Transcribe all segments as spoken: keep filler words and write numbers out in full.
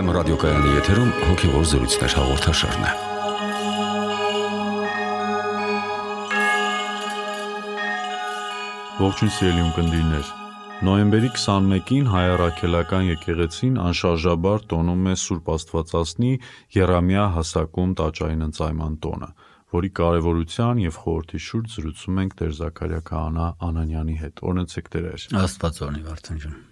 Էֆ Էմ ռադիոկայանի եթերում հոգևոր զրույցներ հաղորդաշարն է։ Ողջույն սիրելի ունկնդիրներ։ Նոյեմբերի քսանմեկին Հայ Առաքելական եկեղեցին անշարժաբար տոնում է Սուրբ Աստվածածնի Եռամիա հասակում տաճարին ընծայման տոնը, որի կարևորության և խորհրդի շուրջ զրուցում ենք Տեր Զաքարիա քահանա Անանյանի հետ։ Օրհնեցեք Տեր։ Աստված օրհնի Վարդան ջան։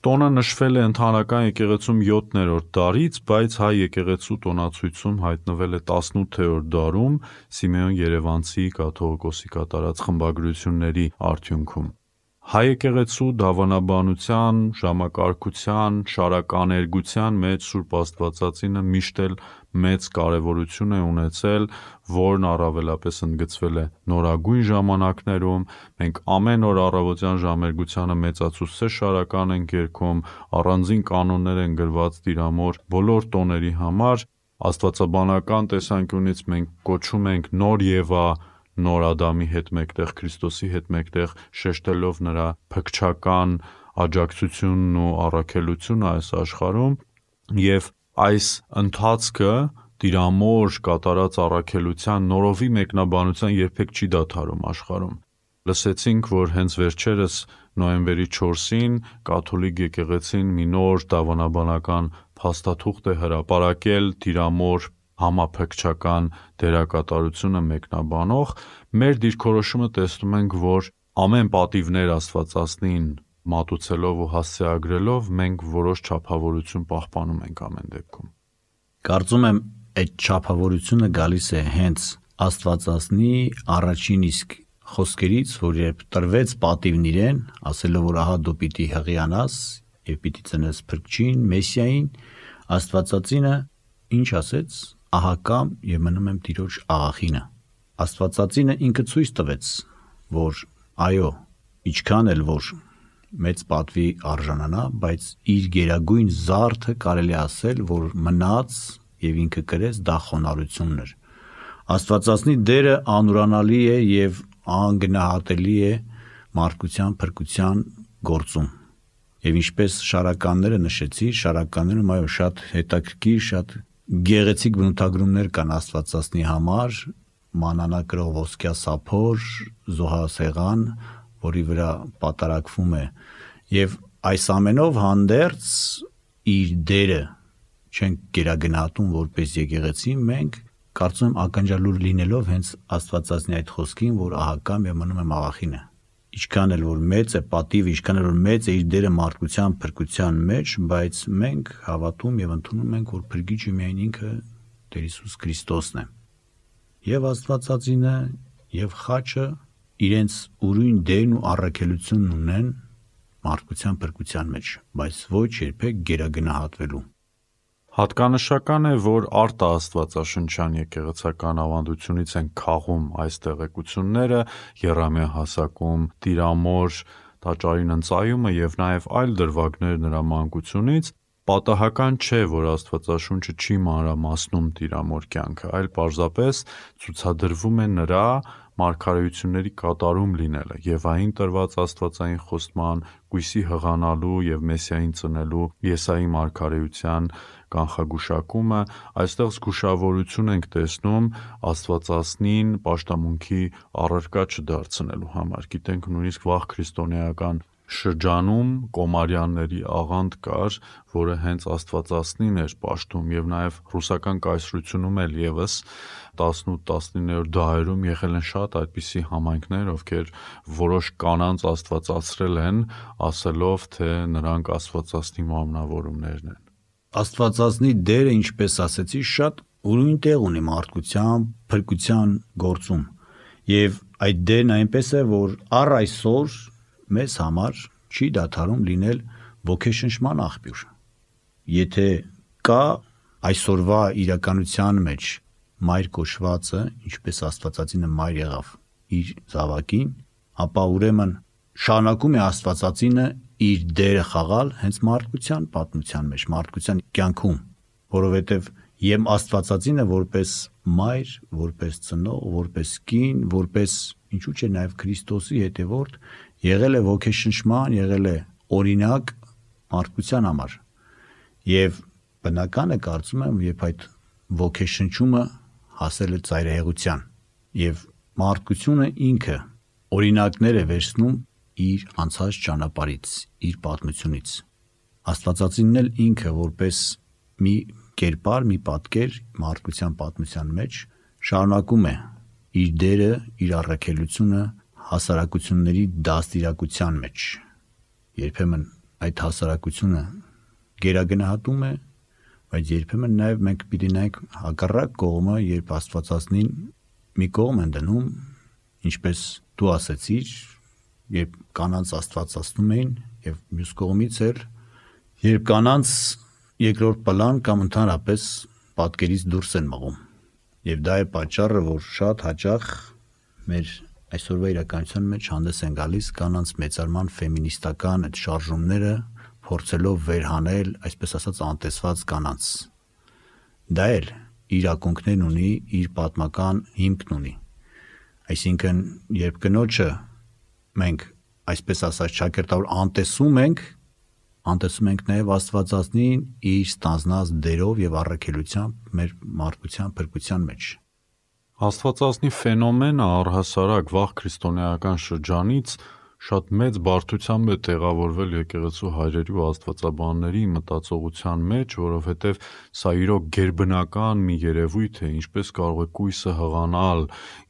Տոնը նշվել է ընդհանրական եկեղեցում յոթերորդ դարից, բայց հայ եկեղեցու տոնացույցում հայտնվել է տասնութերորդ դարում Սիմեոն Երևանցի կաթողիկոսի կատարած խմբագրությունների արդյունքում։ Հայ եկեղեցու դավանաբանության, ժամակարգության, շարականերգության մեջ Սուրբ Աստվածածինը միշտ էլ մեծ կարևորություն է ունեցել, որն առավելապես ընդգծվել է նորագույն ժամանակներում։ Մենք ամեն օր առավոտյան ժամերգությանը մեծացուցիչ շարական ենք երգում, առանձին կանոններ են գրված Տիրամոր բոլոր տոների համար։ Աստվածաբանական տեսանկյունից մենք կոչում ենք նոր Եվա, նոր Ադամի հետ մեկտեղ, Քրիստոսի հետ մեկտեղ, շեշտելով նրա փքչական աջակցությունն ու առաքելությունը այս աշխարհում, և այս ընթացքը Տիրամոր կատարած առաքելության նորովի մեկնաբանության երբեք չի դադարում աշխարհում։ Լսեցինք, որ հենց վերջերս նոյեմբերի չորսին կաթոլիկ եկեղեցին մի նոր դավանաբանական փաստաթուղթ է հրապարակել Տիրամոր համափքչական դերակատարությունը մեկնաբանող։ Մեր դիրքորոշումը տեսնում ենք, որ ամեն պատիվներ Աստվածածնին մատուցելով ու հասցեագրելով մենք որոշ չափավորություն պահպանում ենք ամեն դեպքում։ Կարծում եմ այդ չափավորությունը գալիս է հենց Աստվածածնի առաջին իսկ խոսքերից, որ երբ տրվեց պատիվն իրեն, ասելով, որ ահա դու պիտի հղիանաս և պիտի ծնես Փրկչին, Մեսիային, Աստվածածինը ինչ ասեց, ահա կամ և մնում եմ Տիրոջ աղախինը։ Աստվածածինը ինքը ցույց տվեց, որ այո, ինչքան էլ որ մեծ պատվի արժանանա, բայց իր գերագույն զարդը կարելի ասել, որ մնաց և ինքը կրեց, դա խոնարհությունն էր։ Աստվածածնի դերը անուրանալի է և անգնահատելի է մարդկության փրկության գործում։ Եվ ինչպես շարականները նշեցի, շարականներում այո շատ հետաքրքիր, շատ գեղեցիկ բնութագրումներ կան Աստվածածնի համար, մանանա կրող ոսկյա սափոր, զոհասեղան, որի վրա պատարակվում է, և այս ամենով հանդերձ իր դերը չենք գերագնահատում որպես եկեղեցի, մենք կարծում եմ ականջալուր լինելով հենց Աստվածածնի այդ խոսքին, որ ահա կամ և մնում եմ աղախինը։ Ինչքան էլ որ մեծ է պատիվը, ինչքան էլ որ մեծ է իր դերը մարդկության փրկության մեջ, բայց մենք հավատում և ընդունում ենք, որ Փրկիչը միայն ինքը Տեր Հիսուս Քրիստոսն է։ Եվ Աստվածածինը, և խաչը իրենց ուրույն դերն ու առաքելությունն ունեն մարդկության փրկության մեջ, բայց ոչ երբեք գերագնահատվելու։ Հատկանշական է, որ արտաաստվածաշնչյան եկեղեցական ավանդությունից են քաղում այս տեղեկությունները, Եռամիա հասակում Տիրամոր տաճարին ընծայումը և նաև այլ դրվագներ նրա մանկությունից։ Պատահական չէ, որ Աստվածաշունչը չի մանրամասնում Տիրամոր կյանքը, այլ պարզապես ցուցադրվում է նրա մարգարեությունների կատարում լինելը, և այն տրված աստվածային խոստման, կույսի հղանալու և Մեսիային ծնելու Եսայի մարգարեության կանխագուշակումը։ Այստեղ զգուշավորություն ենք տեսնում Աստվածածնին պաշտամունքի առարկա չդարձնելու համար։ Գիտենք, նույնիսկ վաղ քրիստոնեական շրջանում կոմարյանների աղանդ կար, որը հենց Աստվածածնին էր պաշտում, և նաև ռուսական կայսրությունում էլ ևս տասնութ-տասնիններորդ դարերում եղել են շատ այդպիսի համայնքներ, ովքեր որոշ կանանց աստվածացրել են, ասելով, թե նրանք Աստվածածնի մարմնավորումներն են։ Աստվածածնի դերը, ինչպես ասեցի, շատ ուրույն տեղ ունի մարդկության փրկության գործում, և այդ դերն այնպես է, որ առ այսօր մեզ համար չի դադարում լինել ոգեշնչման աղբյուր։ Եթե կա այսօրվա իրականության մեջ մայր կոչվածը, ինչպես Աստվածածինը մայր եղավ իր զավակին, ապա ուրեմն շարունակում է Աստվածածինը իր դերը խաղալ հենց մարդկության պատմության մեջ, մարդկության կյանքում, որովհետև և Աստվածածինը որպես մայր, որպես ծնող, որպես կին, որպես ինչու՞ չէ նաև Քրիստոսի հետևորդ, եղել է ոգեշնչման, եղել է օրինակ մարդկության համար, և բնականը կարծում եմ, երբ այդ ոգեշնչումը հասել է ծայրահեղության եւ մարդկությունը ինքը օրինակներ է վերցնում իր անցած ճանապարհից, իր պատմությունից։ Աստվածածինն էլ ինքը որպես մի կերպար, մի պատկեր մարդկության պատմության մեջ շարունակում է իր դերը, իր առաքելությունը հասարակությունների դաստիարակության մեջ։ Երբեմն այդ հասարակությունը գերագնահատում է, բայց երբեմն նաև մենք պիտի նայենք հակառակ կողմը, երբ Աստվածածնին մի կողմ են դնում, ինչպես դու ասեցիր, երբ կանանց Աստվածացնում էին, եւ մյուս կողմից էլ երբ կանանց երկրորդ պլան կամ ընդհանրապես պատկերից դուրս են մղում։ Եվ դա է պատճառը, որ շատ հաճախ մեր այսօրվա իրականության մեջ հանդես են գալիս կանանց մեծարման ֆեմինիստական այդ շարժումները, փորձելով վերհանել, այսպես ասած, անտեսված կանանց։ Դա էլ իր ակունքներն ունի, իր պատմական հիմքն ունի։ Այսինքն, երբ կնոջը մենք այսպես ասած ճակերտավոր անտեսում ենք, անտեսում ենք նաև Աստվածածնին իր ստանձնած դերով եւ առաքելությամբ մեր մարդկության փրկության մեջ։ Աստվածածնի ֆենոմենը առհասարակ վաղ քրիստոնեական շրջանից շատ մեծ բարդությամբ է տեղավորվել եկեղեցու հայրերի ու աստվածաբանների մտածողության մեջ, որովհետև սա իրոք գերբնական մի երևույթ է, ինչպես կարող է կույսը հղանալ,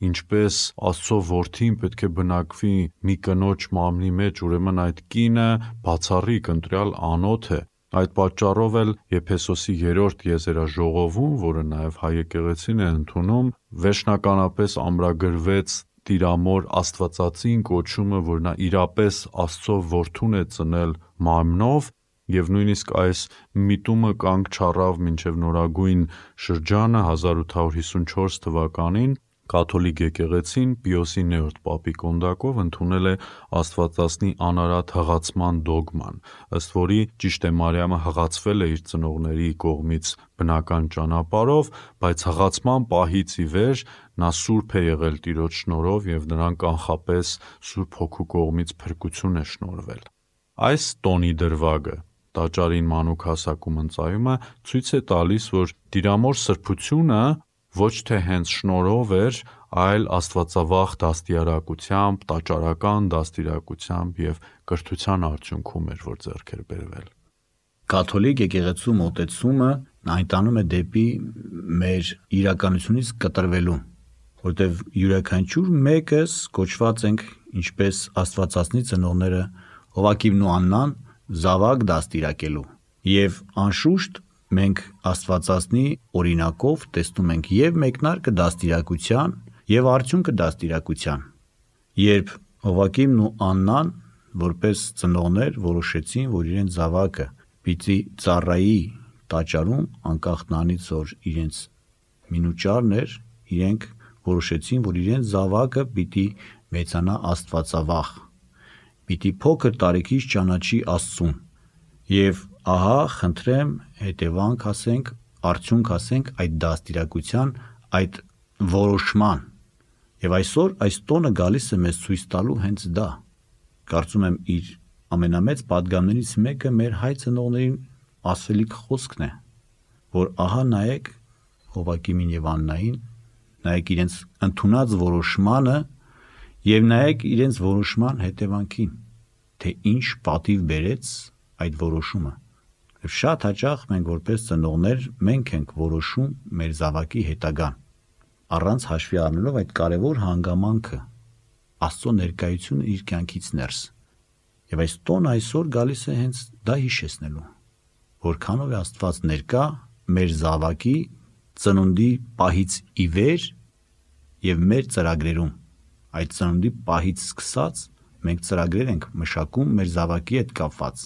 ինչպես Աստծո որդին պետք է բնակվի մի կնոջ մարմնի մեջ, ուրեմն այդ կինը բացառիկ ընտրյալ անոթ է։ Այդ պատճառով էլ Եփեսոսի երրորդ եզերաժողովում, որը նաև հայ եկեղեցին է ընդունում, վերջնականապես ամրագրվեց Տիրամոր Աստվածածին կոչումը, որ նա իրապես Աստծո որդուն է ծնել մարմնով, եւ նույնիսկ այս միտումը կանգ չառավ մինչեւ նորագույն շրջանը հազար ութ հարյուր հիսունչորս թվականին կաթոլիկ եկեղեցին Պիոսի նորրորդ պապի կոնդակով ընդունել է Աստվածածնի անարատ հղացման դոգման, ըստ որի ճիշտ է Մարիամը հղացվել է իր ծնողների կողմից բնական ճանապարհով, բայց հղացման պահից ի վեր նա սուրբ է եղել Տիրոջ շնորհով եւ նրան կանխապես Սուրբ Հոգու կողմից փրկություն է շնորհվել։ Այս տոնի դրվագը տաճարին մանուկ հասակում ընծայումը ցույց է տալիս, որ Տիրամոր սրբությունը ոչ թե հենց շնորհով էր, այլ աստվածավախ դաստիարակությամբ, տաճարական դաստիարակությամբ եւ կրթության արդյունքում էր, որ ձեռք էր բերվել։ Կաթոլիկ եկեղեցու մոտեցումը այն տանում է դեպի մեր իրականությունից կտրվելու, որտեղ յուրաքանչյուր մեկս կոչված ենք, ինչպես Աստվածածնի ծնողները Հովակիվն ու Աննան, զավակ դաստիարակելու։ Եվ անշուշտ մենք Աստվածածնի օրինակով տեսնում ենք եւ մեկնարկը դաստիարակության եւ արդյունքը դաստիարակության։ Երբ Հովակիվն ու Աննան որպես ծնողներ որոշեցին, որ իրենց զավակը պիտի ծառայի տաճարում, անկախ նրանից, որ իրենց մինուճարն էր, իրենք որոշեցին, որ իրենց զավակը պիտի մեծանա աստվածավախ, պիտի փոքր տարիքից ճանաչի Աստծուն։ Եվ ահա խնդրեմ հետևանք ասենք, արդյունք ասենք այդ դաստիարակության, այդ որոշման։ Եվ այսօր այս տոնը գալիս է մեզ ցույց տալու հենց դա։ Կարծում եմ իր ամենամեծ պատգամներից մեկը մեր հայ ծնողներին ասելիք խոսքն է, որ ահա նայեք Հովակիմին եւ Աննային, նայեք իրենց ընդունած որոշմանը եւ նայեք իրենց որոշման հետևանքին, թե ինչ պատիվ բերեց այդ որոշումը։ Եվ շատ հաճախ մենք որպես ծնողներ մենք ենք որոշում մեր զավակի հետագան, առանց հաշվի առնելով այդ կարևոր հանգամանքը, Աստծո ներկայությունը իր կյանքից ներս։ Եվ այս տոնը այսօր գալիս է հենց դա հիշեցնելու, որքանով է Աստված ներկա մեր զավակի ծնունդի պահից ի վեր եւ մեր ծրագրերում։ Այդ ծնունդի պահից սկսած մենք ծրագրեր ենք մշակում մեր զավակի հետ կապված,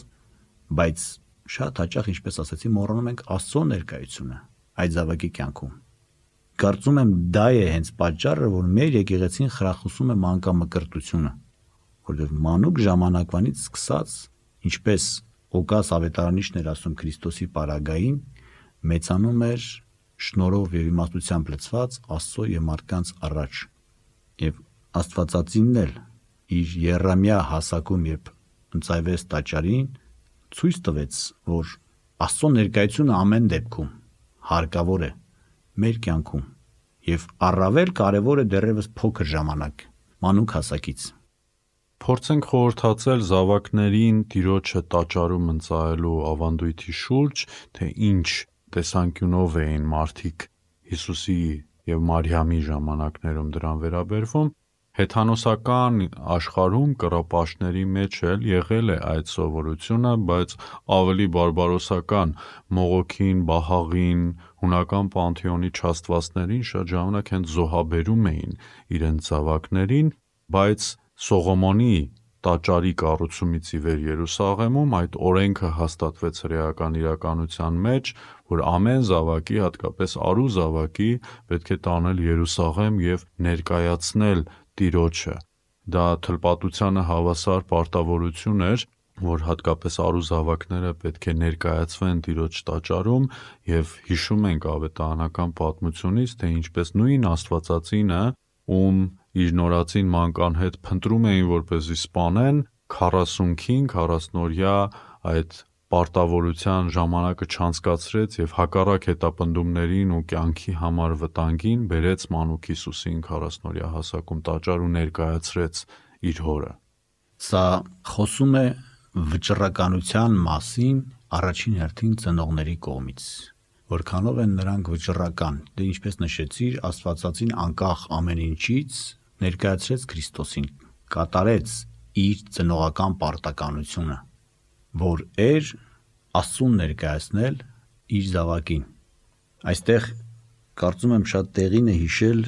բայց շատ հաճախ, ինչպես ասացի, մոռանում ենք Աստծո ներկայությունը այդ զավակի կյանքում։ Կարծում եմ դա է հենց պատճառը, որ մեր եկեղեցին խրախուսում է մանկամկրտությունը, որովհետև մանուկ ժամանակվանից սկսած, ինչպես Օգաս ավետարանիչն էր ասում Քրիստոսի պարագային, մեծանում էր շնորհով եւ իմաստությամբ լցված Աստծո եւ մարդկանց առաջ։ Եվ Աստվածածինն էլ իր եռամյա հասակում, երբ ընծայվեց տաճարին, ցույց տվեց, որ Աստծո ներկայությունը ամեն դեպքում հարկավոր է մեր կյանքում եւ առավել կարեւոր է դեռևս փոքր ժամանակ, մանուկ հասակից։ Փորձենք խորհրդացել զավակներին Տիրոջը տաճարում ընծայելու ավանդույթի շուրջ, թե ինչ տեսանկյունով էին մարդիկ Հիսուսի եւ Մարիամի ժամանակներում դրան վերաբերվում։ Հեթանոսական աշխարհում կռապաշտների մեջ էլ եղել է այդ սովորությունը, բայց ավելի բարբարոսական մողոքին, բահաղին, հունական պանթեոնի չաստվածներին շատ ժամանակ հենց զոհաբերում էին իրենց զավակներին, բայց Սողոմոնի տաճարի կառուցումից ի վեր Երուսաղեմում այդ օրենքը հաստատվեց հրեական իրականության մեջ, որ ամեն զավակի, հատկապես արու զավակի, պետք է տանել Երուսաղեմ եւ ներկայացնել Տիրոջը։ Դա թլպատությանը հավասար պարտավորություն էր, որ հատկապես արու զավակները պետք է ներկայացվեն Տիրոջ տաճարում, եւ հիշում ենք ավետարանական պատմությունից, թե ինչպես նույն Աստվածածինը, ում իր նորածին մանկան հետ փնտրում էին որպեսզի սպանեն, քառասունքին քառասնօրյա այդ պարտավորության ժամանակը չանցկացրեց եւ հակառակ հետապնդումներին ու կյանքի համար վտանգին բերեց մանուկ Հիսուսին քառասնօրյա հասակում տաճար ու ներկայացրեց իր հորը։ Սա խոսում է վճռականության մասին առաջին հերթին ծնողների կողմից, որքանով են նրանք վճռական, դե ինչպես նշեցիր, Աստվածածին անկախ ամեն ինչից ներկայացրեց Քրիստոսին, կատարեց իր ծնողական պարտականությունը, որ էր Աստծուն ներկայացնել իր զավակին։ Այստեղ կարծում եմ շատ տեղին է հիշել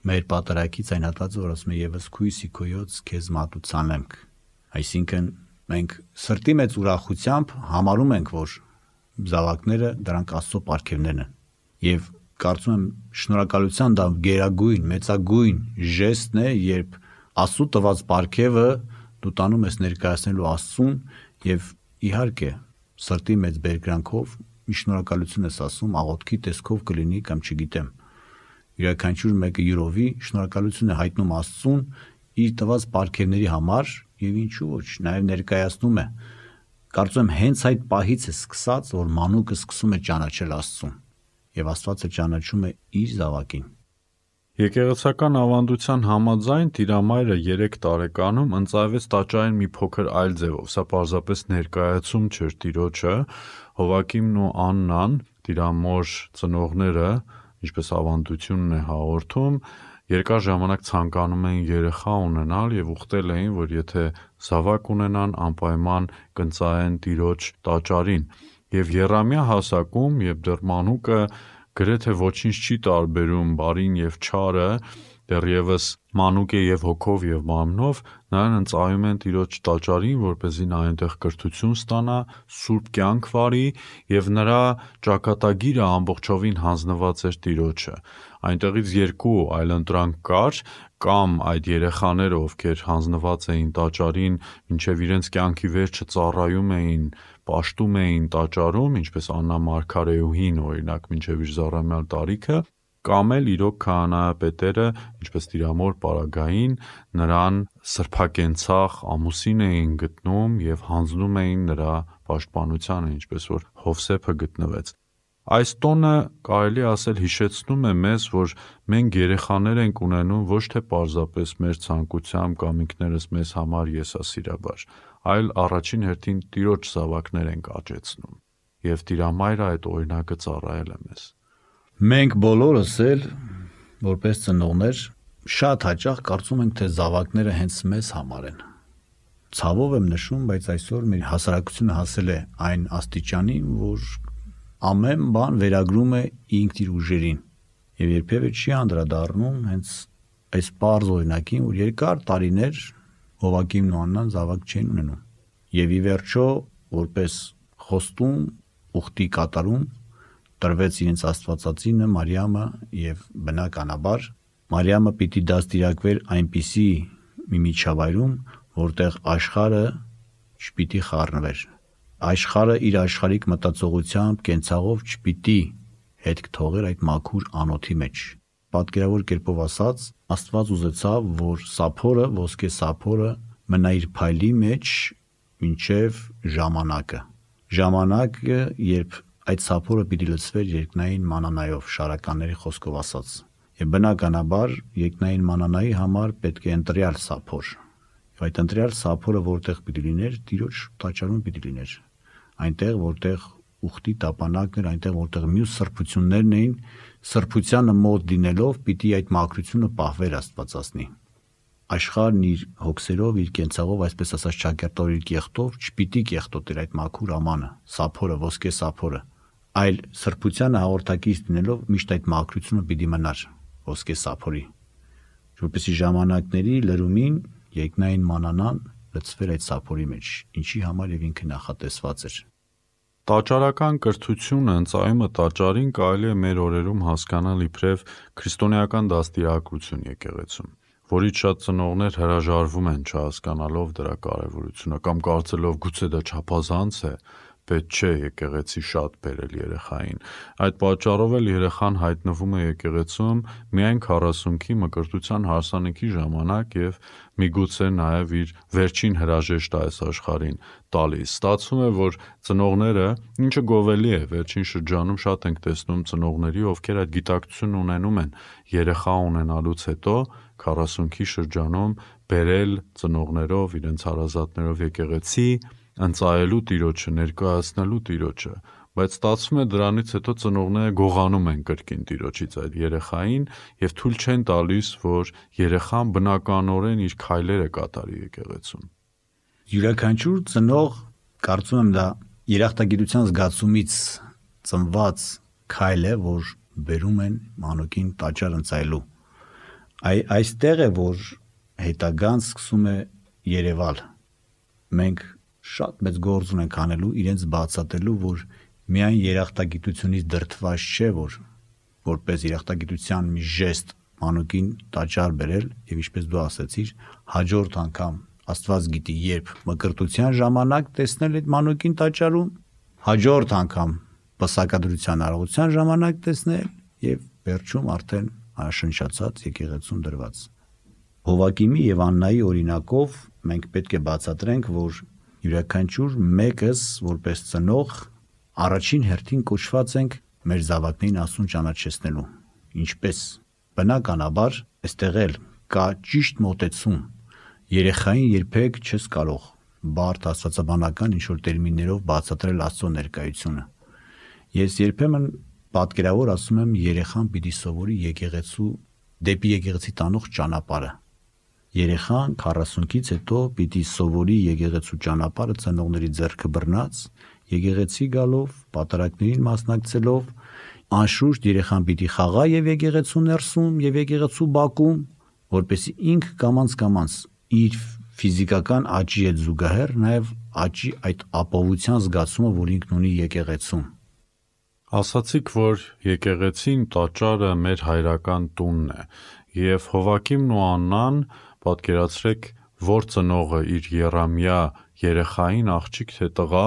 մեր պատարագից այն հատվածը, որ ասում է «Եվս քույսի քոյոց քեզ մատուցանենք», այսինքն մենք սրտի մեծ ուրախությամբ համարում ենք, որ զավակները դրանք Աստծո պարգևներն են, եւ կարծում եմ շնորհակալության դա գերագույն, մեծագույն ժեստն է, երբ Աստծո տված պարգևը դու տանում ես ներկայացնելու Աստծուն եւ իհարկե սրտի մեծ բերկրանքով մի շնորհակալություն ես ասում, աղոթքի տեսքով կլինի կամ չգիտեմ, յուրաքանչյուր մեկը յուրովի շնորհակալություն է հայտնում Աստծուն իր տված պարգևների համար եւ ինչու ոչ, նաեւ ներկայացնում է։ Կարծում եմ հենց այդ պահից է սկսած, որ մանուկը սկսում է ճանաչել Աստծուն եւ Աստվածը ճանաչում է իր զավակին։ Եկեղեցական ավանդության համաձայն Տիրամայրը երեք տարեկանում ընծայվեց տաճարին մի փոքր այլ ձևով, սա պարզապես ներկայացում չէր Տիրոջը, Հովակիմն ու Աննան, Տիրամոր ծնողները, ինչպես ավանդությունն է հաղորդում, երկար ժամանակ ցանկանում էին երեխա ունենալ եւ ուխտել էին, որ եթե զավակ ունենան, անպայման կընծայեն Տիրոջ տաճարին։ Եվ եռամյա հասակում, երբ դեռ մանուկը գրեթե ոչինչ չի տարբերում բարին եւ չարը, դեռևս մանուկ է եւ հոգով եւ մարմնով, նրան ընծայում են Տիրոջ տաճարին, որպեսզի նա այնտեղ կրթություն ստանա, սուրբ կյանք վարի եւ նրա ճակատագիրը ամբողջովին հանձնված էր Տիրոջը։ Այնտեղից երկու այլընտրանք կար, կամ այդ երեխաները, ովքեր հանձնված էին տաճարին, մինչև իրենց կյանքի վերջը ծառայում էին, պաշտում էին տաճարում, ինչպես Աննա Մարգարեուհին, օրինակ, մինչև իր զառամյալ տարիքը, կամ էլ իրոք քահանայապետերը, ինչպես Տիրամոր Պարագային, նրան սրբակենցաղ ամուսին էին գտնում եւ հանձնում էին նրա պաշտպանությանը, ինչպես որ Հովսեփը գտնվեց։ Այս տոնը կարելի ասել հիշեցնում է մեզ, որ մենք երեխաներ ենք ունենում ոչ թե պարզապես մեր ցանկությամբ կամ ինքներս մեզ համար եսասիրաբար, այլ առաջին հերթին Տիրոջ զավակներ ենք աճեցնում, եւ Տիրամայրը այդ օրինակը ծառայել է մեզ։ Մենք բոլորս էլ, որպես ծնողներ, շատ հաճախ կարծում ենք, թե զավակները հենց մեզ համար են։ Ցավով եմ նշում, բայց այսօր մեր հասարակությունը հասել է այն աստիճանին, որ ամեն բան վերագրում է ինքն իր ուժերին եւ երբեւե չի անդրադառնում հենց այս պարզ օրինակին, որ երկար տարիներ Հովակիմն ու Աննան զավակ չեն ունենում եւ ի վերջո որպես խոստում ուխտի կատարում տրվեց իրենց Աստվածածինը Մարիամը եւ բնականաբար Մարիամը պիտի դաստիարակվեր այնպիսի մի միջավայրում, որտեղ աշխարհը չպիտի խառնվեր։ Աշխարհը իր աշխարհիկ մտածողությամբ, կենցաղով չպիտի հետք թողեր այդ մաքուր անոթի մեջ։ Պատկերավոր կերպով ասած, Աստված ուզեցավ, որ սափորը, ոսկե սափորը մնա իր փայլի մեջ մինչև ժամանակը, ժամանակը, երբ այդ սափորը պիտի լցվեր երկնային մանանայով, շարականների խոսքով ասած։ Եվ բնականաբար երկնային մանանայի համար պետք է ընտրյալ սափոր։ Եվ այդ ընտրյալ սափորը որտեղ պիտի լիներ, Տիրոջ տաճարում պիտի լիներ։ Այնտեղ, որտեղ ուխտի տապանակն էր, այնտեղ, որտեղ մյուս սրբություններն էին, սրբությանը մոտ լինելով պիտի այդ մաքրությունը պահվեր Աստվածածնի։ Աշխարհն իր հոգսերով, իր կենցաղով, այսպես ասած ճակերտով, իր կեղտով չպիտի կեղտոտեր այդ մաքուր ամանը, սափորը, ոսկե սափորը, այլ սրբությանը հաղորդակից լինելով միշտ այդ մաքրությունը պիտի մնար ոսկե սափորի, որպեսզի ժամանակների լրումին երկնային մանանան լցվեր այդ սափորի մեջ, ինչի համար եւ ինքը նախատեսված էր։ Տաճարական կրթությունը, ընծայումը տաճարին կարելի է մեր օրերում հասկանալ իբրև քրիստոնեական դաստիարակություն եկեղեցում, որից շատ ծնողներ հրաժարվում են չհասկանալով դրա կարևորությունը կամ կարծելով գուցե դա չափազանց է, պետք չէ եկեղեցի շատ բերել երեխային։ Այդ պատճառով էլ երեխան հայտնվում է եկեղեցում միայն քառասունքի մկրտության հարսանիքի ժամանակ եւ միգուցե նաեւ իր վերջին հրաժեշտը այս աշխարհին տալիս։ Ստացվում է, որ ծնողները, ինչը գովելի է, վերջին շրջանում շատ ենք տեսնում ծնողների, ովքեր այդ գիտակցությունն ունենում են երեխա ունենալուց հետո քառասունքի շրջանում բերել ծնողներով, իրենց հարազատներով եկեղեցի, ընծայելու Տիրոջը, ներկայացնելու Տիրոջը, բայց ստացվում է դրանից հետո ծնողները գողանում են կրկին Տիրոջից այդ երեխային եւ թույլ չեն տալիս, որ երեխան բնականորեն իր քայլերը կատարի եկեղեցում։ Յուրաքանչյուր ծնող, կարծում եմ դա երախտագիտության զգացումից ծնված քայլ է, որ բերում են մանուկին տաճար ընծայելու։ Այ այստեղ է, որ հետագան սկսում է երևալ։ Մենք շատ մեծ գործ ունենք անելու իրենց բացատրելու, որ միայն երախտագիտությունից դրդված չէ, որ որպես երախտագիտության մի ժեստ մանուկին տաճար բերել եւ ինչպես դու ասացիր, հաջորդ անգամ Աստված գիտի երբ մկրտության ժամանակ տեսնել այդ մանուկին տաճարում, հաջորդ անգամ պսակադրության արարողության ժամանակ տեսնել եւ վերջում արդեն անշնչացած եկեղեցում դրված։ Հովակիմի եւ Աննայի օրինակով մենք պետք է բացատրենք, որ յուրաքանչյուր մեկս որպես ծնող առաջին հերթին կոչված ենք մեր զավակներին Աստծուն ճանաչեցնելու։ Ինչպես բնականաբար այստեղ էլ կա ճիշտ մոտեցում։ Երեխային երբեք չես կարող բարդ աստվածաբանական ինչ-որ տերմիններով բացատրել Աստծո ներկայությունը։ Ես երբեմն պատկերավոր ասում եմ երեխան պիտի սովորի եկեղեցու դեպի եկեղեցի տանող ճանապարհը։ Երեխան քառասունքից հետո պիտի սովորի եկեղեցու ճանապարհը ծնողների ձեռքը բռնած, եկեղեցի գալով, պատարակներին մասնակցելով, անշուշտ երեխան պիտի խաղա եւ եկեղեցու ներսում եւ եկեղեցու բակում, որպեսզի ինքը կամաց-կամաց իր ֆիզիկական աճի հետ զուգահեռ նաեւ աճի այդ ապահովության զգացումը, որ ինքն ունի եկեղեցում։ Ասացիք, որ եկեղեցին տաճարը մեր հայրական տունն է, եւ Հովակիմն ու Աննան պատկերացրեք, որ ծնողը իր եռամյա երեխային աղջիկ թե տղա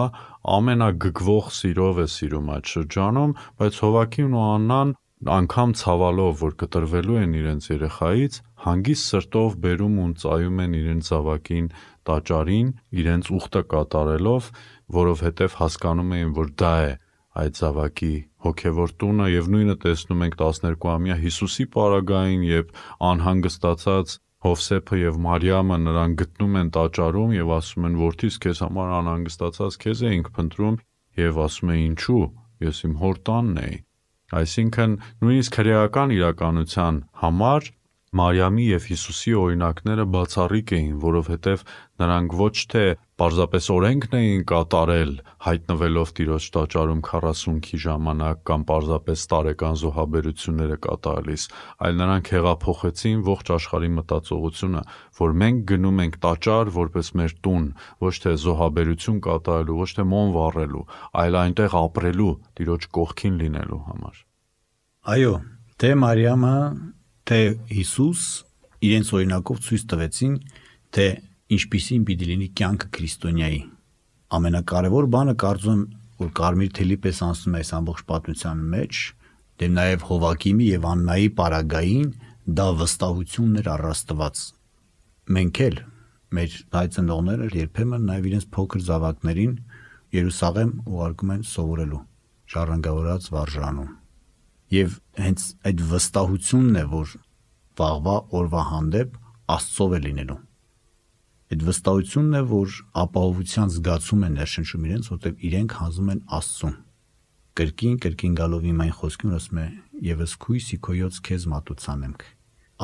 ամենագգվող սիրով է սիրում այդ շրջանում, բայց Հովակիմն ու Աննան անգամ ցավալով, որ կտրվելու են իրենց երեխայից, հանգիստ սրտով բերում ու ծայում են իրենց զավակին տաճարին, իրենց ուխտը կատարելով, որովհետև հասկանում էին, որ դա է այդ զավակի հոգևոր տունը, եւ նույնը տեսնում ենք տասներկուամյա Հիսուսի պարագային, երբ անհանգստացած Հովսեփը եւ Մարիամը նրան գտնում են տաճարում եւ ասում են, որդիս, քեզ համար անհանգստացած քեզ էինք փնտրում, եւ ասում է, ինչու, ես իմ հոր տանն էի։ Այսինքն նույնիսկ հրեական իրականության համար Մարիամի եւ Հիսուսի օրինակները բացառիկ էին, որովհետեւ նրանք ոչ թե պարզապես օրենքն էին կատարել, հայտնվելով Տիրոջ տաճարում քառասունքի ժամանակ կամ պարզապես տարեկան զոհաբերությունները կատարելիս, այլ նրանք հեղափոխեցին ողջ աշխարհի մտածողությունը, որ մենք գնում ենք տաճար որպես մեր տուն, ոչ թե զոհաբերություն կատարելու, ոչ թե մոմ վառելու, այլ այնտեղ ապրելու, Տիրոջ կողքին լինելու համար։ Այո, թե Մարիամը թե Հիսուս իրենց օրինակով ցույց տվեցին, թե ինչպիսին պիտի լինի կյանքը քրիստոնյայի։ Ամենակարևոր բանը կարծում եմ, որ կարմիր թելի պես անցնում է այս ամբողջ պատմության մեջ, դե նաև Հովակիմի եւ Աննայի պարագային դա վստահությունն էր առ Աստված։ Մենք էլ մեր հայ ծնողները երբեմն նաև իրենց փոքր զավակներին Երուսաղեմ ուղարկում են սովորելու ժառանգավորած վարժանում։ Եվ հենց այդ վստահությունն է, որ վաղվա օրվա հանդեպ Աստծով է լինելու։ Այդ վստահությունն է, որ ապահովության զգացում են ներշնչում իրենց, որտեղ իրենք հանձնում են Աստծուն։ Կրկին կրկին գալով իմ այն խոսքին ասում է. «Եվս քույսի քոյոց քեզ մատուցանենք»։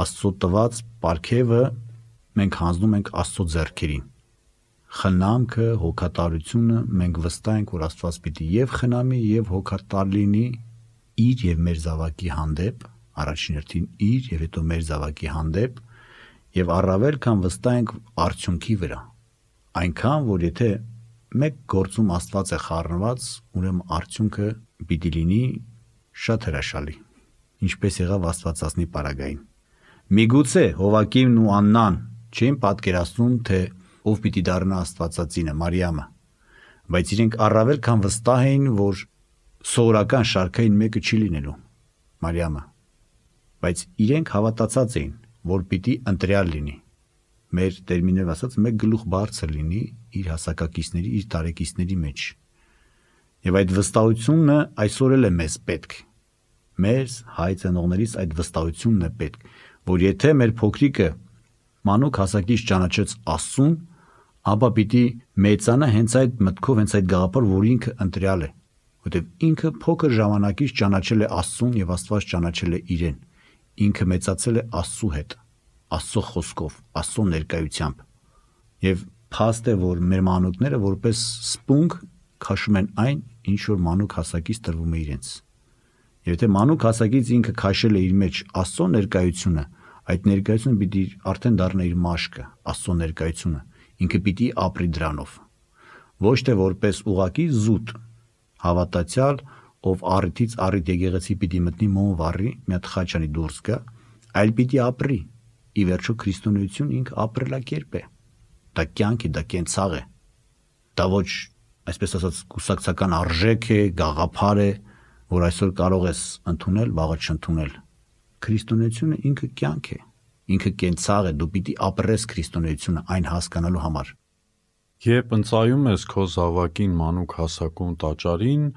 Աստծո տված պարգևը մենք հանձնում ենք Աստծո ձեռքերին։ Խնամքը, հոգատարությունը մենք վստահ ենք, որ Աստված պիտի եւ խնամի, եւ հոգատար լինի իր եւ մեր զավակի հանդեպ, առաջին հերթին իր եւ հետո մեր զավակի հանդեպ, եւ առավել քան վստահ ենք արդյունքի վրա։ Այնքան, որ եթե մեկ գործում Աստված է խառնված, ուրեմն արդյունքը պիտի լինի շատ հրաշալի, ինչպես եղավ Աստվածածնի պարագային։ Միգուցե Հովակիմն ու Աննան չէին պատկերացնում, թե ով պիտի դառնա Աստվածածինը, Մարիամը, բայց իրենք առավել քան վստահ էին, որ սովորական շարքային մեկը չի լինելու, Մարիամը, բայց իրենք հավատացած էին, որ պիտի ընտրյալ լինի, մեր տերմինով ասած մեկ գլուխ բարձր լինի իր հասակակիցների, իր տարեկիցների մեջ։ Եվ այդ վստահությունը այսօր էլ է մեզ պետք։ Մեր հայ ծնողներից այդ վստահությունն է պետք, որ եթե մեր փոքրիկը մանուկ հասակից ճանաչեց Աստծուն, ապա պիտի մեծանա հենց այդ մտքով, հենց այդ գաղափար, որ ինքը ընտրյալ է, որտեղ ինքը փոքր ժամանակից ճանաչել է Աստծուն եւ Աստված ճանաչել է իրեն։ Ինքը մեծացել է Աստծու հետ, Աստծո խոսքով, Աստծո ներկայությամբ։ Եվ փաստ է, որ մեր մանուկները որպես սպունգ քաշում են այն, ինչ որ մանուկ հասակից տրվում է իրենց։ Եվ եթե մանուկ հասակից ինքը քաշել է իր մեջ Աստծո ներկայությունը, այդ ներկայությունը պիտի արդեն դառնա իր մաշկը, Աստծո ներկայությունը, ինքը պիտի ապրի դրանով։ Ոչ թե որպես ուղակի զուտ հավատացյալ, ով առիթից առիթ եկեղեցի պիտի մտնի մոմ վառի, մի հատ խաչանի դուրս գա, այլ պիտի ապրի։ Ի վերջո քրիստոնեություն ինքը ապրելակերպ է։ Դա կյանք է, դա կենցաղ է։ Դա ոչ, այսպես ասած, կուսակցական արժեք է, գաղափար է, որ այսօր կարող ես ընդունել, վաղը չընդունել։ Քրիստոնեությունը ինքը կյանք է, ինքը կենցաղ է, դու պիտի ապրես քրիստոնեությունը այն հասկանալու համար։ Երբ ընծայում ես քո զավակին մանուկ հասակում տաճարին,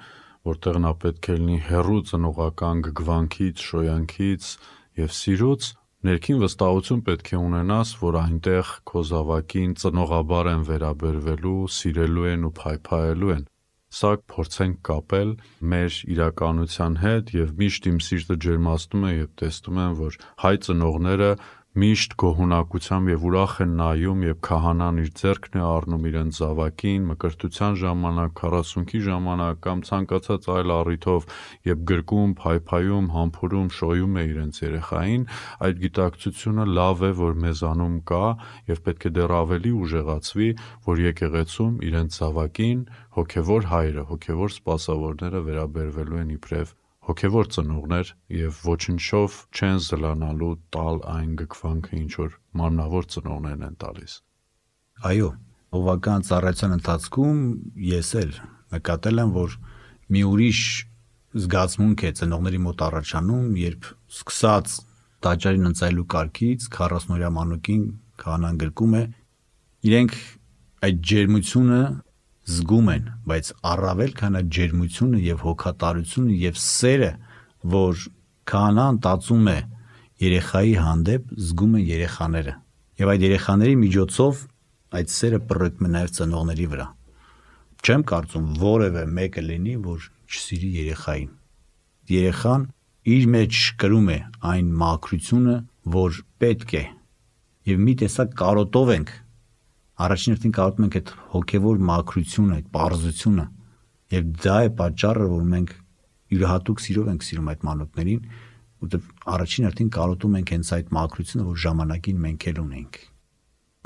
որտեղ նա պետք է լինի հեռու ծնողական գգվանքից, շոյանքից եւ սիրուց, ներքին վստահություն պետք է ունենաս, որ այնտեղ քո զավակին ծնողաբար են վերաբերվելու, սիրելու են ու փայփայելու են։ Սա փորձենք կապել մեր իրականության հետ եւ միշտ իմ սիրտը ջերմացնում է, երբ տեսնում եմ, որ հայ ծնողները միշտ գոհունակությամբ եւ ուրախ են նայում, եւ քահանան իր ձեռքն է առնում իրենց զավակին մկրտության ժամանակ, քառասունքի ժամանակ կամ ցանկացած այլ առիթով եւ գրկում, փայփայում, համբուրում, շոյում է իրենց երեխային, այդ գիտակցությունը լավ է, որ մեզանում կա եւ պետք է դեռ ավելի ուժեղացվի, որ եկեղեցում իրենց զավակին հոգեվոր հայրը, հոգեվոր սպասավորները վերաբերվելու են իբրև հոգևոր ծնողներ եւ ոչնչով չեն զլանալու տալ այն գկվանքը, ինչ որ մարմնավոր ծնողներն են տալիս։ Այո, հովական ծառայության ընթացքում ես էլ նկատել եմ, որ մի ուրիշ զգացմունք է ծնողների մոտ առաջանում, երբ սկսած տաճարին ընծայելու կարգից քառասունօրյա մանուկին քահանան գրկում է, իրենք այդ ջերմությունը զգում են, բայց առավել քան այդ ջերմությունը եւ հոգատարությունը եւ սերը, որ քահանան տածում է երեխայի հանդեպ, զգում են երեխաները։ Եվ այդ երեխաների միջոցով այդ սերը պռկում է նաեւ ծնողների վրա։ Չեմ կարծում որևէ մեկը լինի, որ չսիրի երեխային։ Երեխան իր մեջ կրում է այն մաքրությունը, որ պետք է։ Եվ մի տեսակ կարոտով ենք Առաջին հերթին կարոտում ենք այդ հոգևոր մաքրությունը, այդ պարզությունը, եւ դա է պատճառը, որ մենք յուրահատուկ սիրով ենք սիրում այդ մանուկներին, որովհետեւ առաջին հերթին կարոտում ենք հենց այդ մաքրությունը, որ ժամանակին մենք էլ ունենք։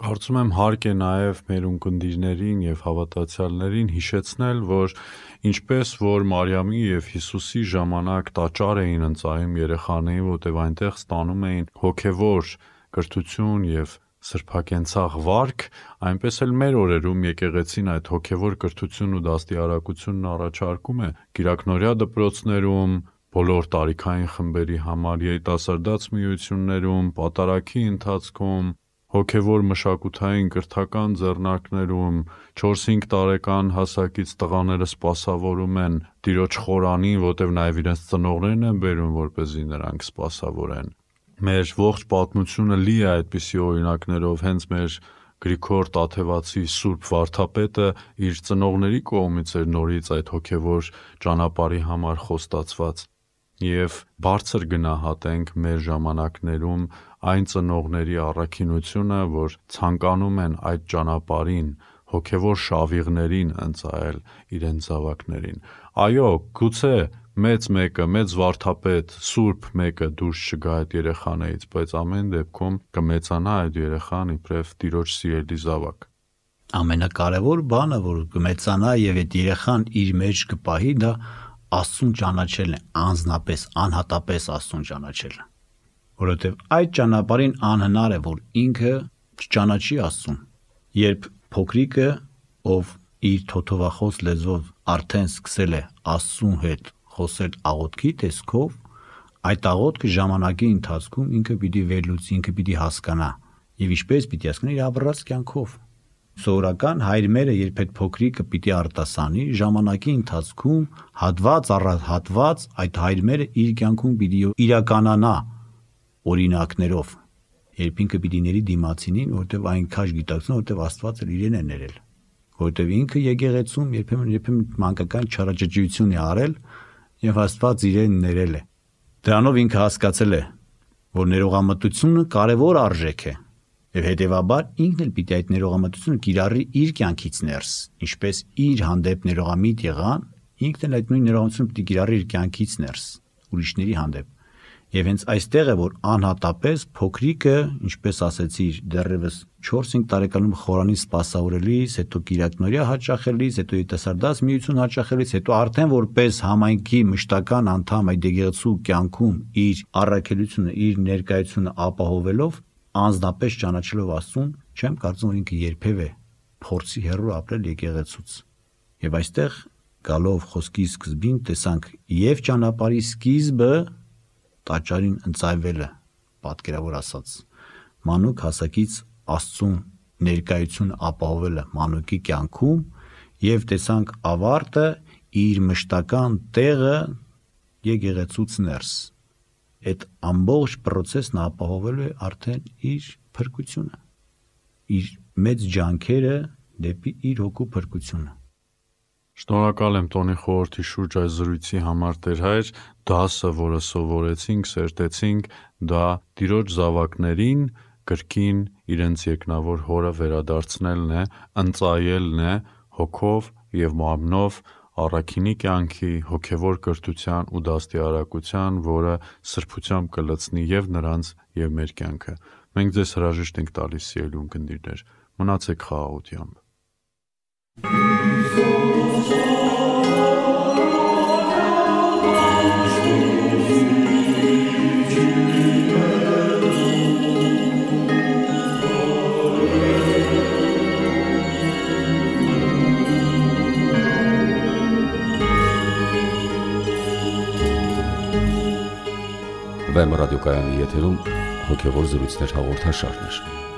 Կարծում եմ հարկ է նաեւ մեր ունկնդիրներին եւ հավատացյալներին հիշեցնել, որ ինչպես որ Մարիամի եւ Հիսուսի ժամանակ տաճար էին ընծայում երեխաներին, որտեղ այնտեղ ստանում էին հոգևոր կրթություն եւ սրբակենցաղ վարք, այնպես էլ մեր օրերում եկեղեցին այդ հոգևոր կրթությունն ու դաստիարակությունն առաջարկում է կիրակնօրյա դպրոցներում, բոլոր տարիքային խմբերի համար երիտասարդաց միություններում, պատարագի ընթացքում, հոգևոր մշակութային կրթական ձեռնարկներում չորս-հինգ տարեկան հասակից տղաները սպասավորում են Տիրոջ խորանին, որտեղ նաև իրենց ծնողներն են բերում, որպեսզի նրանք սպասավորեն։ Մեր ողջ պատմությունը լի է այդպիսի օրինակներով, հենց մեր Գրիգոր Տաթևացի Սուրբ Վարդապետը իր ծնողների կողմից էր նորից այդ հոգևոր ճանապարհի համար խոստացված։ Եվ բարձր գնահատենք մեր ժամանակներում այն ծնողների առաքինությունը, որ ցանկանում են այդ ճանապարհին հոգևոր շավիղներին ընծայել իրենց զավակներին։ Այո, գուցե մեծ մեկը, մեծ վարդապետ, սուրբ մեկը դուրս չգա այդ երեխաներից, բայց ամեն դեպքում կմեծանա այդ երեխան իբրև Տիրոջ սիրելի զավակ։ Ամենակարևոր բանը, որ կմեծանա եւ այդ երեխան իր մեջ կպահի, դա Աստծուն ճանաչելն է, անձնապես, անհատապես Աստծուն ճանաչելը, որովհետեւ այդ ճանապարհին անհնար է, որ ինքը չճանաչի Աստծուն։ Երբ փոքրիկը, ով իր թոթովախոս լեզվով արդեն սկսել է Աստծուն հետ խոսել աղոթքի տեսքով, այդ աղոթքը ժամանակի ընթացքում ինքը պիտի վերլուծի, ինքը պիտի հասկանա, եւ ինչպես պիտի հասկանա իր ապրած կյանքով։ Սովորական հայրմերը, երբ այդ փոքրիկը պիտի արտասանի, ժամանակի ընթացքում հատված առ հատված այդ հայրմերը իր կյանքում պիտի իրականանա օրինակներով, երբ ինքը պիտի ների դիմացինին, որտեվ այն քաշ գիտակցում, որտեվ Աստված էլ իրեն է ներել, որտեվ ինքը եկեղեցում երբեմն երբեմն մանկական չարաճճիություն է արել եւ Աստված իրեն ներել է։ Դրանով ինքը հասկացել է, որ ներողամտությունը կարևոր արժեք է, եւ հետեւաբար ինքն էլ պիտի այդ ներողամտությունը կիրառի իր կյանքից ներս, ինչպես իր հանդեպ ներողամիտ եղան, ինքն էլ այդ նույն ներողամտությունը պիտի կիրառի իր կյանքից ներս, ուրիշների հանդեպ։ Եվ հենց այստեղ է, որ անհատապես փոքրիկը, ինչպես ասեցի, դեռևս չորս-հինգ տարեկանում խորանի սպասավորելիս, հետո կիրակնորյա հաճախելիս, հետո ետասարդաց միություն հաճախելիս, հետո արդեն որպես համայնքի մշտական անդամ այդ եկեղեցու կյանքում իր առաքելությունը, իր ներկայությունը ապահովելով, անձնապես ճանաչելով Աստծուն, չեմ կարծում, որ ինքը երբևէ փորձի հեռու ապրել եկեղեցուց։ Եվ այստեղ գալով խոսքի սկզբին տեսանք եւ ճանապարհի սկիզբը տաճարին ընծայվելը, պատկերավոր ասած, մանուկ հասակից Աստծուն ներկայություն ապահովելը մանուկի կյանքում, եւ տեսանք ավարտը իր մշտական տեղը եկեղեցուց ներս։ Այդ ամբողջ process-ն ապահովելու է արդեն իր փրկությունը, իր մեծ ջանքերը դեպի իր հոգու փրկությունը։ Շնորհակալ եմ Տոնի խորհրդի շուրջ այս զրույցի համար, Տեր Հայր, դասը, որը սովորեցինք, սերտեցինք, դա Տիրոջ զավակներին կրկին իրենց երկնավոր հորը վերադարձնելն է, ընծայելն է հոգով եւ մարմնով առաքինի կյանքի, հոգևոր կրթության ու դաստիարակության, որը սրբությամբ կլցնի եւ նրանց եւ մեր կյանքը։ Մենք ձեզ հրաժեշտ ենք տալիս, սիրելի ունկնդիրներ, մնացեք խաղաղությամբ։ Վեմ ռադիոկայանի եթերում հոգևոր զրույցներ հաղորդաշարներ։